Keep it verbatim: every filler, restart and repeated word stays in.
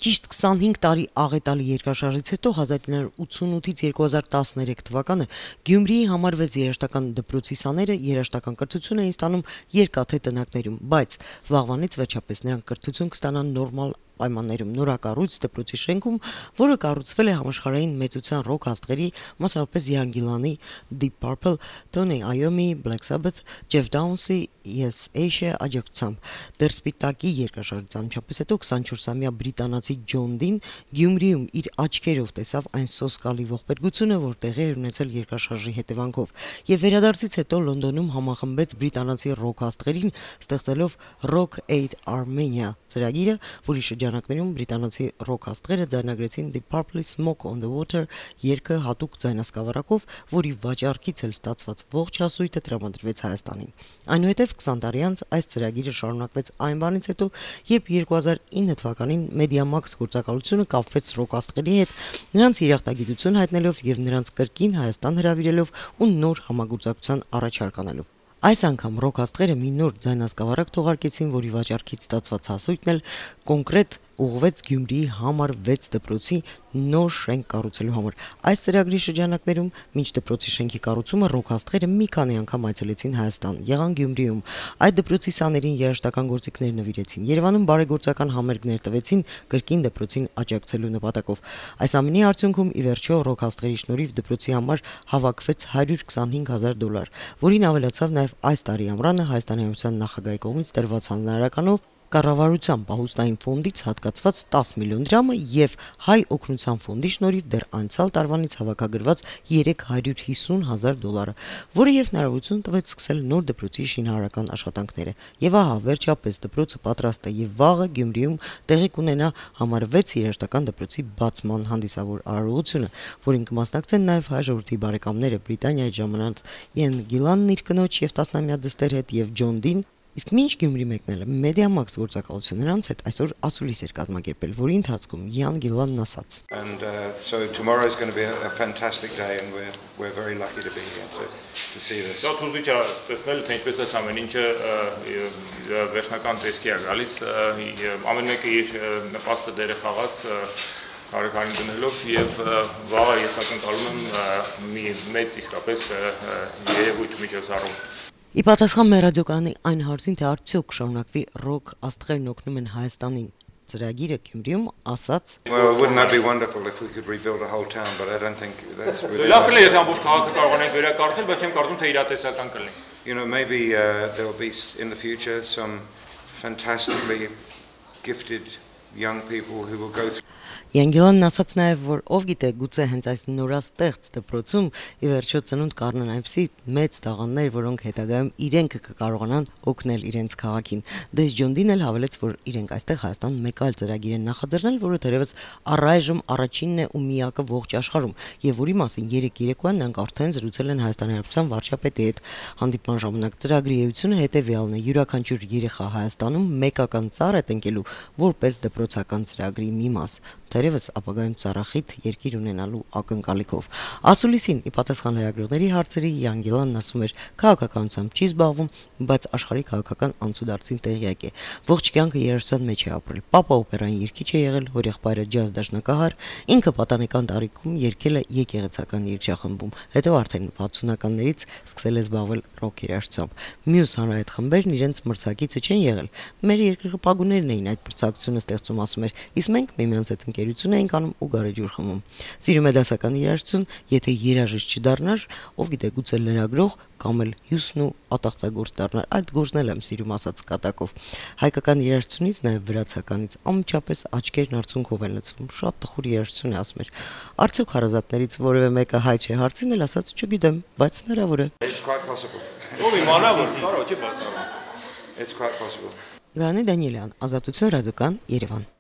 Ճիշտ քսանհինգ տարի աղետալի երկրաշարժից հետո հազար իննյակ հարյուր ութսունութից երկու հազար տասներեք թվականը Գյումրիի համարվեց երաժշտական դպրոցի սաները երաժշտական կրթություն էին ստանում երկաթե տնակներում, բայց վաղվանից վերջապես նրանք կրթություն կստանան նորմալ պայմաններում նորակառույց դպրոցի շենքում, որը կառուցվել է համաշխարհային մեծության ռոք աստղերի, մասնավորապես Ian Gillan-ի Deep Purple, Tony Iommi, Black Sabbath, Jeff Downes-ի Yes Asia աջակցությամբ։ Դեռ Սպիտակի երկրաշարժից անմիջապես հետո քսանչորսամյա բրիտանացի Ջոն Դին Գյումրիում իր աչքերով տեսավ այն սոսկալի ողբերգությունը, որ տեղի էր ունեցել երկրաշարժի հետևանքով, եւ վերադարձից հետո Լոնդոնում համախմբեց բրիտանացի ռոք աստղերին, ստեղծելով Rock Aid Armenia ծրագիրը, որի շրջանակներում բրիտանացի ռոք աստղերը ձայնագրեցին Deep Purple-ի Smoke on the Water երգը հատուկ ձայնասկավառակով, որի վաճառքից էլ ստացված ողջ հասույթը տրամադրվեց Հայաստանին։ Այնուհետև քսան տարի անց այս ծրագիրը շարունակվեց այն բանից հետո, երբ երկու հազար ինը թվականին Mediamax գործակալությունը կապվեց ռոք աստղերի հետ, նրանց երախտագիտություն հայտնելով եւ նրանց կրկին Հայաստան հրավիրելով ու նոր համագործակցության առաջարկ անելով։ Այս անգամ ռոք աստղերը մի նոր ձայնասկավառակ թողարկեցին, որի վաճառքից ստացված հասույթն էլ կոնկրետ ուղղվեց Գյումրիի համար վեց դպրոցի նոր շենք կառուցելու համար։ Այս ծրագրի շրջանակներում մինչ դպրոցի շենքի կառուցումը ռոք աստղերը մի քանի անգամ այցելեցին Հայաստան, եղան Գյումրիում, այդ դպրոցի սաներին երաժշտական գործիքներ նվիրեցին, Երևանում բարեգործական համերգներ տվեցին կրկին դպրոցին աջակցելու նպատակով։ Այս ամենի արդյունքում ի վերջո ռոք աստղերի շնորհիվ դպրոցի համար հավաքվեց հարյուր քսանհինգ հազար դոլար, որին ավելացավ նաև այս տարի ամռանը Հայաստանի Հանրապետության նախագահի կողմից տրված հանրարականով կառավարության պահուստային ֆոնդից հատկացված տասը միլիոն դրամը եւ Հայ օգնության ֆոնդի շնորհիվ դեռ անցյալ տարվանից հավաքագրված երեք հարյուր հիսուն հազար դոլարը, որը եւ հնարավորություն տվեց սկսել նոր դպրոցի շինարարական աշխատանքները։ Եվ ահա վերջապես դպրոցը պատրաստ է եւ վաղը Գյումրիում տեղի կունենա համար վեց երաժշտական դպրոցի բացման հանդիսավոր արարողությունը, որին կմասնակցեն նաեւ հայ ժողովրդի բարեկամները Բրիտանիայի ժամանած Ian Gillan-ն իր կնոջ եւ տասնամյա դստեր հետ եւ Ջոն Դին։ Իսկ մինչ Գյումրի մեկնելը Mediamax գործակալությունը նրանց հետ այսօր ասուլիս էր կազմակերպել, որի ընթացքում Ian Gillan-ն ասաց. And uh, so tomorrow is going to be a, a fantastic day and we're we're very lucky to be here to to see this. Դա թույլ է տեսնել թե ինչպես է ամեն ինչը վերջնական տեսքի է գալիս, ամեն մեկը իր նպաստը դերը խաղաց Արեքանին դնելով եւ վաղը ես ակնկալում եմ մի մեծ իսկապես երևույթ միջոցառում։ Ի պատասխան մեր ռադիոկայանի այն հարցին, թե արդյոք շարունակվի ռոք աստղերն օգնում են Հայաստանին ծրագիրը Գյումրիում, ասաց. Well, wouldn't that be wonderful if we could rebuild a whole town, but I don't think that's really. Լավ կլինի եթե ամբողջ քաղաքը կարողանանք վերակառուցել, բայց չեմ կարծում թե իրատեսական կլինի։ You know, maybe uh, there will be in the future some fantastically gifted young people who will go through Ian Gillan-ն ասաց նաև, որ ով գիտե, գուցե հենց այս նորաստեղծ դպրոցում ի վերջո ծնունդ կառնան այնպիսի մեծ տաղանդներ, որոնք հետագայում իրենք կկարողանան օգնել իրենց քաղաքին։ Դե Ջոն Դին էլ հավելեց, որ իրենք այստեղ Հայաստանում մեկ այլ ծրագիր են նախաձեռնել, որը թերևս առայժմ առաջինն է ու միակը ողջ աշխարհում, եւ որի մասին երեք երեկոյան նրանք արդեն զրուցել են Հայաստանի Հանրապետության վարչապետի հետ։ Հանդիպման ժամանակ ծրագրի էությունը հետեւյալն է՝ յուրաքանչյուր երեխա Հայաստանում մեկական ծառ է տնկելու որպես դպրոցական ծրագրի մի մաս։ Թերևս ապագայում ծառախիտ երկիր ունենալու ակնկալիքով։ Ասուլիսին ի պատասխան լրագրողների հարցերի Ian Gillan-ն ասում էր, քաղաքականությամբ չի զբաղվում, բայց աշխարհի քաղաքական անցուդարձին տեղյակ է։ Ողջ կյանքը երաժշտության մեջ է ապրել։ Պապա օպերային երգիչ է եղել, հորեղբայրը ջազ դաշնակահար, ինքը պատանեկան տարիքում երգել է եկեղեցական երգչախմբում, հետո արդեն վաթսունականներից սկսել է զբաղվել ռոք երաժշտությամբ։ Մյուս հանրահայտ խմբերն իրենց մրցակիցը չեն եղել։ Մեր երկրպագուներն էին այդ մրցակցությունը ստեղծում, ասում էր, իսկ մենք միմյանց հետ ընկերություն էինք անում ու գարեջուր խմում։ Սիրում է դասական երաժշտություն, եթե երաժիշտ չդառնար, ով գիտե, գուցե լրագրող կամ էլ հյուսն ու ատաղծագործ դառնար, այդ գործն էլ եմ սիրում, ասաց կատակով։ Հայկական երաժշտությունից նաև վրացականից անմիջապես աչքերն արցունքով են լցվում, շատ տխուր երաժշտություն է, ասում էր։ Արդյոք հարազատներից որևէ մեկը հայ չէ, հարցին էլ ասաց, չգիտեմ, բայց հնարավոր է։ It's quite possible. Ով իմանա որ կարող չի բացառում։ It's quite possible. Գանի Դանիելյան, Ազատություն ռադիոկան, Երևան։